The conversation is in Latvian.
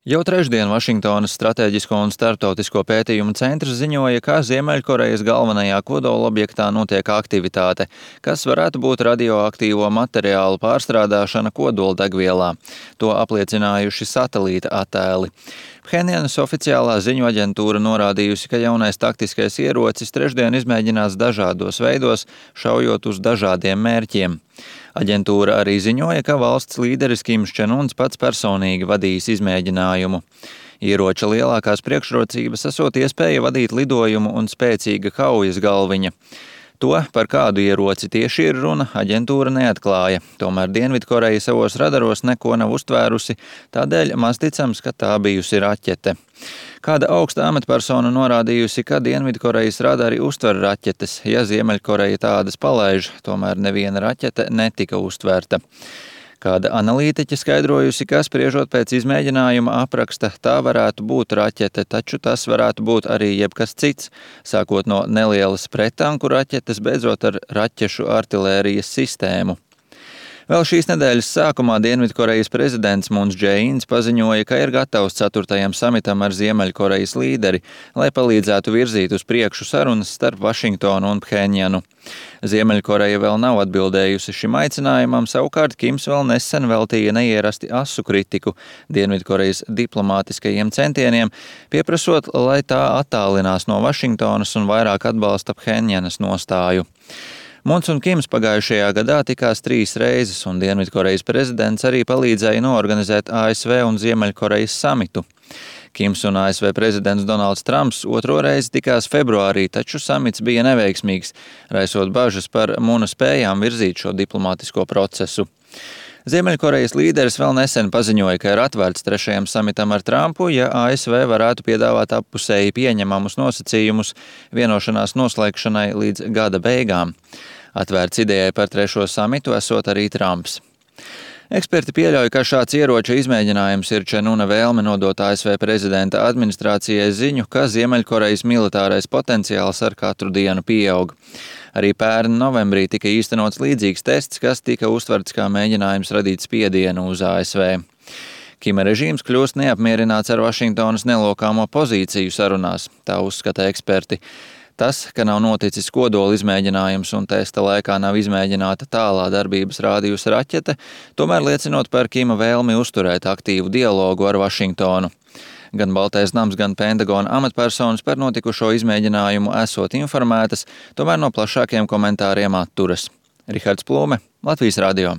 Jau trešdien Vašingtonas Stratēģisko un starptautisko pētījumu centrs ziņoja, ka Ziemeļkorejas galvenajā kodolobjektā notiek aktivitāte, kas varētu būt radioaktīvo materiālu pārstrādāšana kodoldegvielā. To apliecinājuši satelīta attēli. Phenjanas oficiālā ziņu aģentūra norādījusi, ka jaunais taktiskais ierocis trešdien izmēģinās dažādos veidos, šaujot uz dažādiem mērķiem. Aģentūra arī ziņoja, ka valsts līderis Kims Čen Uns pats personīgi vadīs izmēģinājumu. Ieroča lielākās priekšrocības esot iespēja vadīt lidojumu un spēcīga kaujas galviņa. To, par kādu ieroci tieši ir runa, aģentūra neatklāja. Tomēr Dienvidkoreja savos radaros neko nav uztvērusi, tādēļ maz ticams, ka tā bijusi raķete. Kāda augsta amatpersona norādījusi, ka Dienvidkorejas radari uztver raķetes, ja Ziemeļkoreja tādas palaiž, tomēr neviena raķete netika uztverta. Kāda analītiķe skaidrojusi, ka spriežot pēc izmēģinājuma apraksta, tā varētu būt raķete, taču tas varētu būt arī jebkas cits, sākot no nelielas prettanku raķetes, beidzot ar raķešu artilērijas sistēmu. Vēl šīs nedēļas sākumā Dienvidkorejas prezidents Mūns Džē-ins paziņoja, ka ir gatavs 4. samitam ar Ziemeļkorejas līderi, lai palīdzētu virzīt uz priekšu sarunas starp Vašingtonu un Phenjanu. Ziemeļkoreja vēl nav atbildējusi šim aicinājumam, savukārt Kims vēl nesen veltīja neierasti asu kritiku Dienvidkorejas diplomātiskajiem centieniem, pieprasot, lai tā attālinās no Vašingtonas un vairāk atbalsta Phenjanas nostāju. Mūns un Kims pagājušajā gadā tikās 3 reizes, un Dienvidkorejas prezidents arī palīdzēja noorganizēt ASV un Ziemeļkorejas samitu. Kims un ASV prezidents Donalds Trumps otro reizi tikās februārī, taču samits bija neveiksmīgs, raisot bažas par Mūna spējām virzīt šo diplomātisko procesu. Ziemeļkorejas līderis vēl nesen paziņoja, ka ir atvērts 3. samitam ar Trumpu, ja ASV varētu piedāvāt appusēji pieņemamus nosacījumus vienošanās noslēgšanai līdz gada beigām. Atvērts idejai par 3. samitu esot arī Trumps. Eksperti pieļauj, ka šāds ieroča izmēģinājums ir Čen Una vēlme nodot ASV prezidenta administrācijai ziņu, ka Ziemeļkorejas militārais potenciāls ar katru dienu pieaug. Arī pērn novembrī tika īstenots līdzīgs tests, kas tika uztverts kā mēģinājums radīt spiedienu uz ASV. Kima režīms kļūst neapmierināts ar Vašingtonas nelokāmo pozīciju sarunās, tā uzskata eksperti. Tas, ka nav noticis kodola izmēģinājums un testa laikā nav izmēģināta tālā darbības rādījusa raķete, tomēr liecinot par Kima vēlmi uzturēt aktīvu dialogu ar Vašingtonu. Gan Baltais nams, gan Pentagona amatpersonas par notikušo izmēģinājumu esot informētas, tomēr no plašākiem komentāriem atturas. Rihards Plūme, Latvijas radio.